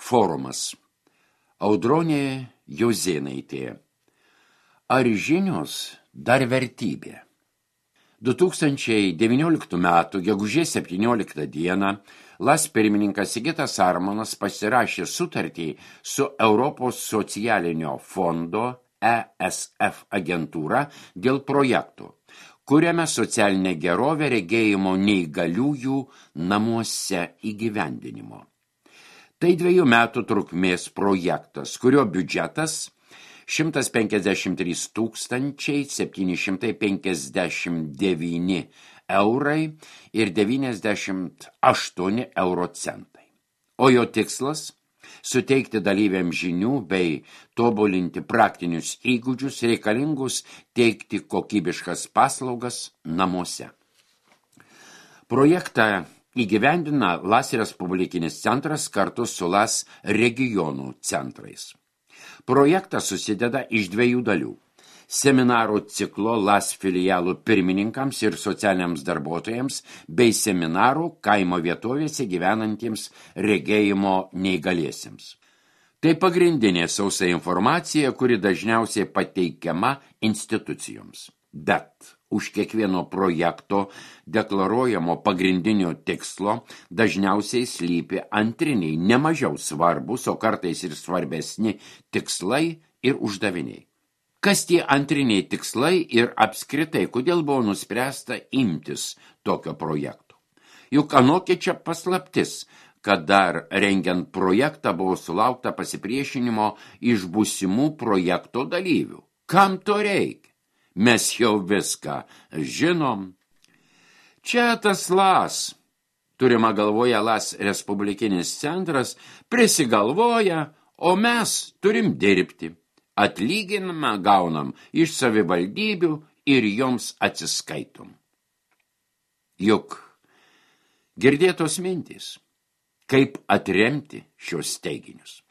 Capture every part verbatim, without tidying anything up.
Forumas. Audronė Jozėnaitė. Ar žinios dar vertybė? du tūkstančiai devynioliktų metų gegužės septynioliktą dieną LAS pirmininkas Sigitas Armonas pasirašė sutartį su Europos socialinio fondo E S F agentūra dėl projektų, kuriame socialinė gerovė regėjimo neįgaliųjų namuose įgyvendinimo. Tai dviejų metų trukmės projektas, kurio biudžetas šimtas penkiasdešimt trys tūkstančiai septyni šimtai penkiasdešimt devyni eurai ir devyniasdešimt aštuoni euro centai. O jo tikslas – suteikti dalyviams žinių bei tobulinti praktinius įgūdžius reikalingus teikti kokybiškas paslaugas namuose. Projektą įgyvendina LAS Respublikinis centras kartu su LAS regionų centrais. Projektas susideda iš dviejų dalių – seminarų ciklo LAS filialų pirmininkams ir socialiniams darbuotojams bei seminarų kaimo vietovėse gyvenantiems regėjimo neįgaliesiems. Tai pagrindinė sausa informacija, kuri dažniausiai pateikiama institucijoms. Bet už kiekvieno projekto deklaruojamo pagrindinio tikslo dažniausiai slypi antriniai, nemažiau svarbus, o kartais ir svarbesni tikslai ir uždaviniai. Kas tie antriniai tikslai ir apskritai, kodėl buvo nuspręsta imtis tokio projekto? Juk anokia čia paslaptis, kad dar rengiant projektą buvo sulaukta pasipriešinimo iš būsimų projekto dalyvių. Kam to reikia? Mes jau viską žinom. Čia tas LAS, turima galvoje LAS Respublikinis centras, prisigalvoja, o mes turim dirbti. Atlyginimą gaunam iš savivaldybių ir joms atsiskaitom. Juk girdėtos mintys, kaip atremti šios teiginius.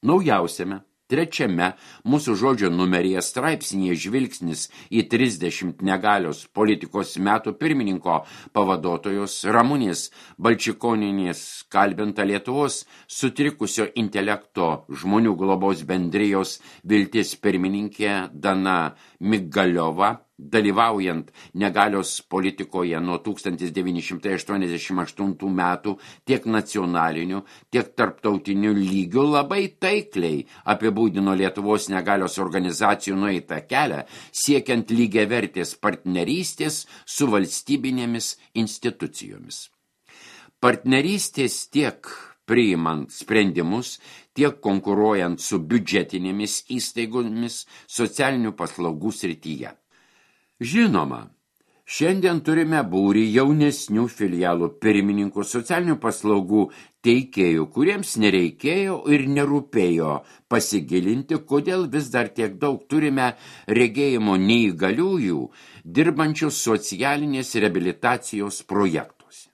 Naujausiame trečiame mūsų žodžio numeryje straipsnėje žvilgsnis į trisdešimt negalios politikos metų pirmininko pavaduotojos Ramunės Balčikonienės kalbinta Lietuvos sutrikusio intelekto žmonių globos bendrijos Viltis pirmininkė Dana Migaliova, dalyvaujant negalios politikoje nuo tūkstantis devyni šimtai aštuoniasdešimt aštuntų metų tiek nacionaliniu, tiek tarptautiniu lygiu labai taikliai apibūdino Lietuvos negalios organizacijų nueitą kelią, siekiant lygiavertės partnerystės su valstybinėmis institucijomis. Partnerystės tiek priimant sprendimus, tiek konkuruojant su biudžetinėmis įstaigomis socialinių paslaugų srityje. Žinoma, šiandien turime būrį jaunesnių filialų pirmininkų socialinių paslaugų teikėjų, kuriems nereikėjo ir nerūpėjo pasigilinti, kodėl vis dar tiek daug turime regėjimo neįgaliųjų, dirbančių socialinės reabilitacijos projektuose.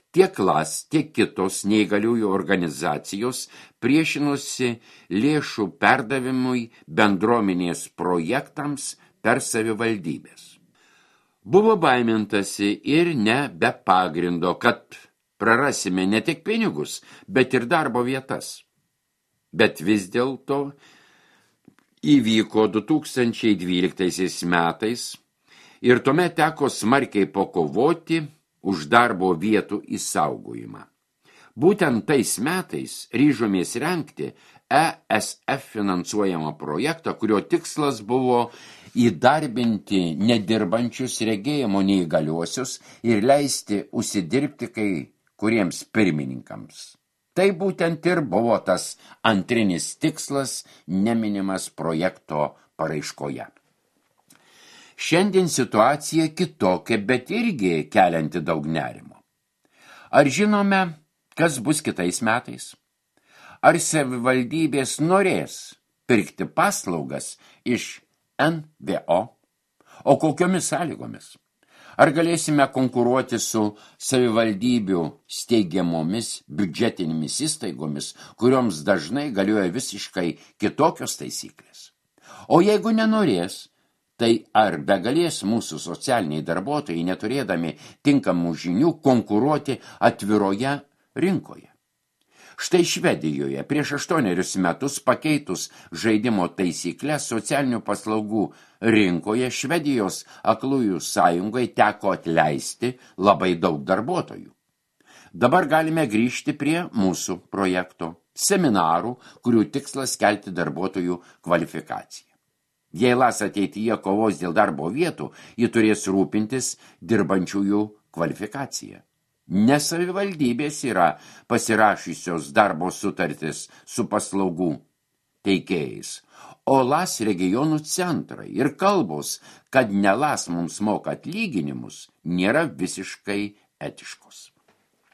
Tiek LAS, tiek kitos neįgaliųjų organizacijos priešinosi lėšų perdavimui bendruomenės projektams per savivaldybės. Buvo baimintasi ir ne be pagrindo, kad prarasime ne tik pinigus, bet ir darbo vietas. Bet vis dėlto įvyko du tūkstančiai dvyliktaisiais metais ir tuomet teko smarkiai pakovoti už darbo vietų išsaugojimą. Būtent tais metais ryžomės rengti E S F finansuojamą projektą, kurio tikslas buvo įdarbinti nedirbančius regėjimo neįgaliuosius ir leisti užsidirbti kai kuriems pirmininkams. Tai būtent ir buvo tas antrinis tikslas, neminimas projekto paraiškoje. Šiandien situacija kitokia, bet irgi kelianti daug nerimo. Ar žinome, kas bus kitais metais? Ar savivaldybės norės pirkti paslaugas iš N V O? O kokiomis sąlygomis? Ar galėsime konkuruoti su savivaldybių steigiamomis biudžetinėmis įstaigomis, kurioms dažnai galioja visiškai kitokios taisyklės? O jeigu nenorės, tai ar begalės mūsų socialiniai darbuotojai, neturėdami tinkamų žinių, konkuruoti atviroje rinkoje? Štai Švedijoje prieš aštuonerius metus pakeitus žaidimo taisyklės socialinių paslaugų rinkoje Švedijos aklųjų sąjungai teko atleisti labai daug darbuotojų. Dabar galime grįžti prie mūsų projekto seminarų, kurių tikslas kelti darbuotojų kvalifikaciją. Jei LAS ateityje kovos dėl darbo vietų, ji turės rūpintis dirbančiųjų kvalifikaciją. Ne savivaldybės yra pasirašysios darbo sutartis su paslaugų teikėjais, o LAS regionų centrai ir kalbos, kad ne LAS mums moka atlyginimus, nėra visiškai etiškos.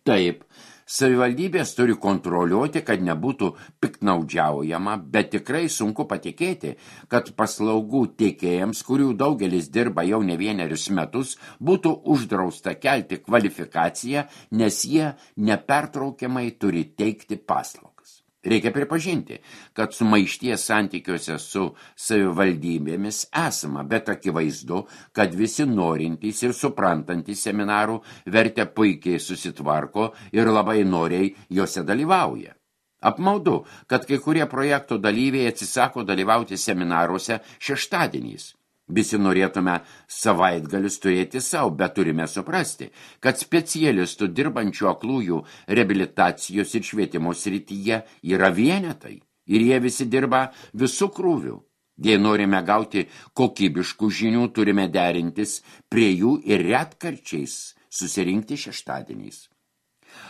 Taip, savivaldybės turi kontroliuoti, kad nebūtų piktnaudžiaujama, bet tikrai sunku patikėti, kad paslaugų teikėjams, kurių daugelis dirba jau ne vienerius metus, būtų uždrausta kelti kvalifikaciją, nes jie nepertraukiamai turi teikti paslaugas. Reikia pripažinti, kad sumaišties santykiuose su savivaldybėmis esama, bet akivaizdu, kad visi norintys ir suprantantys seminarų vertę puikiai susitvarko ir labai noriai juose dalyvauja. Apmaudu, kad kai kurie projekto dalyviai atsisako dalyvauti seminaruose šeštadieniais. Visi norėtume savaitgalius turėti savo, bet turime suprasti, kad specialistų dirbančių aklųjų reabilitacijos ir švietimo srityje yra vienetai ir jie visi dirba visų krūvių. Jei norime gauti kokybiškų žinių, turime derintis prie jų ir retkarčiais susirinkti šeštadieniais.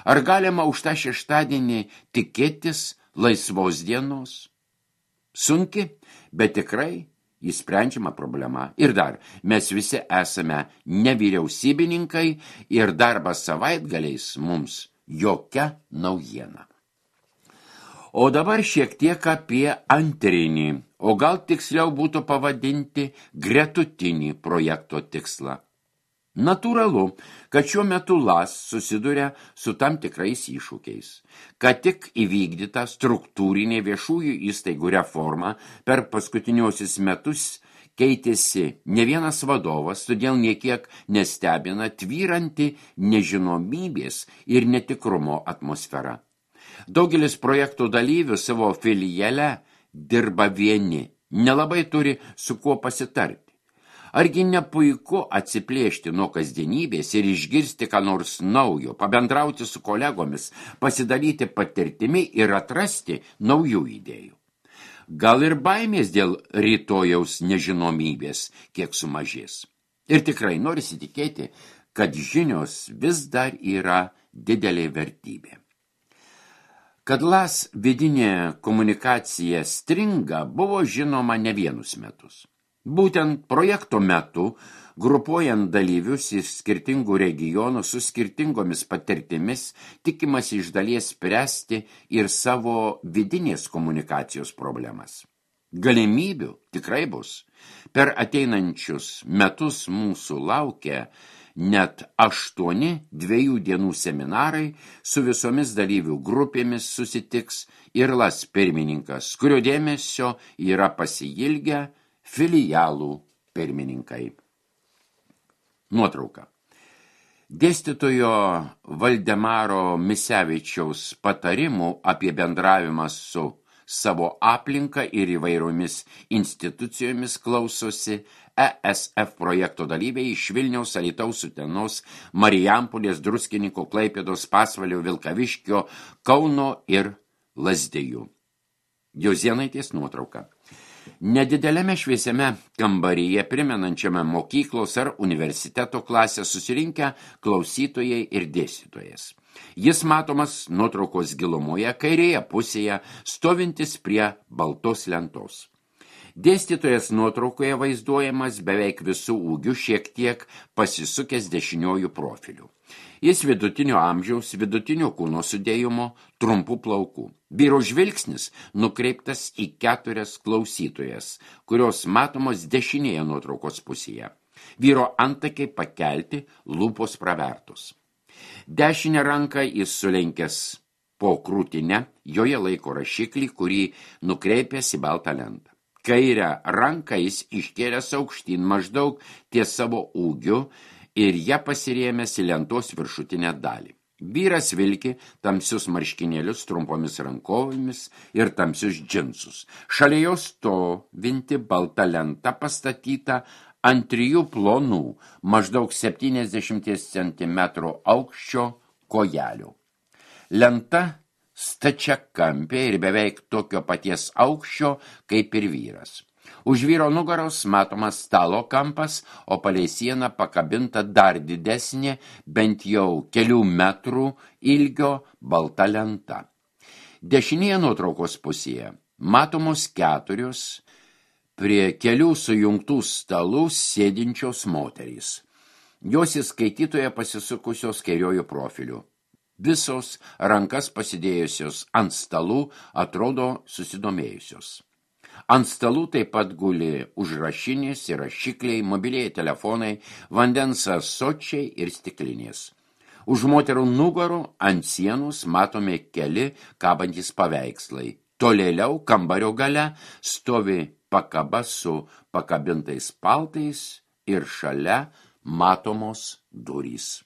Ar galima už tą šeštadienį tikėtis laisvos dienos? Sunki, bet tikrai įsprendžiama problema. Ir dar, mes visi esame nevyriausybininkai ir darbas savaitgaliais mums jokia naujiena. O dabar šiek tiek apie antrinį, o gal tiksliau būtų pavadinti gretutinį projekto tikslą. Natūralu, kad šiuo metu LAS susiduria su tam tikrais iššūkiais. Kad tik įvykdyta struktūrinė viešųjų įstaigų reforma per paskutiniuosius metus keitėsi ne vienas vadovas, todėl niekiek nestebina tvyranti nežinomybės ir netikrumo atmosfera. Daugelis projektų dalyvių savo filiale dirba vieni, nelabai turi su kuo pasitarti. Argi ne puiku atsiplėšti nuo kasdienybės ir išgirsti ką nors naujo, pabendrauti su kolegomis, pasidalyti patirtimi ir atrasti naujų idėjų. Gal ir baimės dėl rytojaus nežinomybės kiek sumažės. Ir tikrai norisi tikėti, kad žinios vis dar yra didelė vertybė. Kad LAS vidinė komunikacija stringa, buvo žinoma ne vienus metus. Būtent projekto metu, grupuojant dalyvius iš skirtingų regionų su skirtingomis patirtimis, tikimasi iš dalies spręsti ir savo vidinės komunikacijos problemas. Galimybių tikrai bus. Per ateinančius metus mūsų laukia net aštuoni dviejų dienų seminarai, su visomis dalyvių grupėmis susitiks ir LAS pirmininkas, kurio dėmesio yra pasiilgę filialų pirmininkai. Nuotrauka. Dėstytojo Valdemaro Misevičiaus patarimų apie bendravimą su savo aplinka ir įvairiomis institucijomis klausosi E S F projekto dalyviai iš Vilniaus, Alytaus, Utenos, Marijampolės, Druskininkų, Klaipėdos, Pasvalio, Vilkaviškio, Kauno ir Lazdijų. Jozėnaitės nuotrauka. Nedideliame šviesiame kambaryje, primenančiame mokyklos ar universiteto klasę, susirinkę klausytojai ir dėstytojas. Jis matomas nuotraukos gilumoje, kairėje pusėje, stovintis prie baltos lentos. Dėstytojas nuotraukoje vaizduojamas beveik visų ūgių, šiek tiek pasisukęs dešiniojų profilių. Jis vidutinio amžiaus, vidutinio kūno sudėjimo, trumpų plaukų. Vyro žvilgsnis nukreiptas į keturias klausytojas, kurios matomos dešinėje nuotraukos pusėje. Vyro antakiai pakelti, lūpos pravertos. Dešinę ranką jis sulenkęs po krūtinę, joje laiko rašiklį, kurį nukreipęs į baltą lentą. Kairę ranką jis iškėlęs aukštyn maždaug ties savo ūgiu ir ją pasirėmęs į lentos viršutinę dalį. Vyras vilki tamsius marškinėlius trumpomis rankovėmis ir tamsius džinsus. Šalia jos stovinti balta lenta pastatyta ant trijų plonų, maždaug septyniasdešimt centimetrų aukščio kojelių. Lenta stačiakampė ir beveik tokio paties aukščio kaip ir vyras. Už vyro nugaros matomas stalo kampas, o palei sieną pakabinta dar didesnė, bent jau kelių metrų ilgio balta lenta. Dešinėje nuotraukos pusėje matomos keturios prie kelių sujungtų stalų sėdinčios moterys. Jos į skaitytoją pasisukusios kairiuoju profiliu. Visos rankas pasidėjusios ant stalų atrodo susidomėjusios. Ant stalų taip pat guli užrašinės ir rašikliai, mobilieji telefonai, vandens ąsočiai ir stiklinės. Už moterų nugarų ant sienos matome keli kabantys paveikslai. Tolėliau kambario gale stovi pakaba su pakabintais paltais ir šalia matomos durys.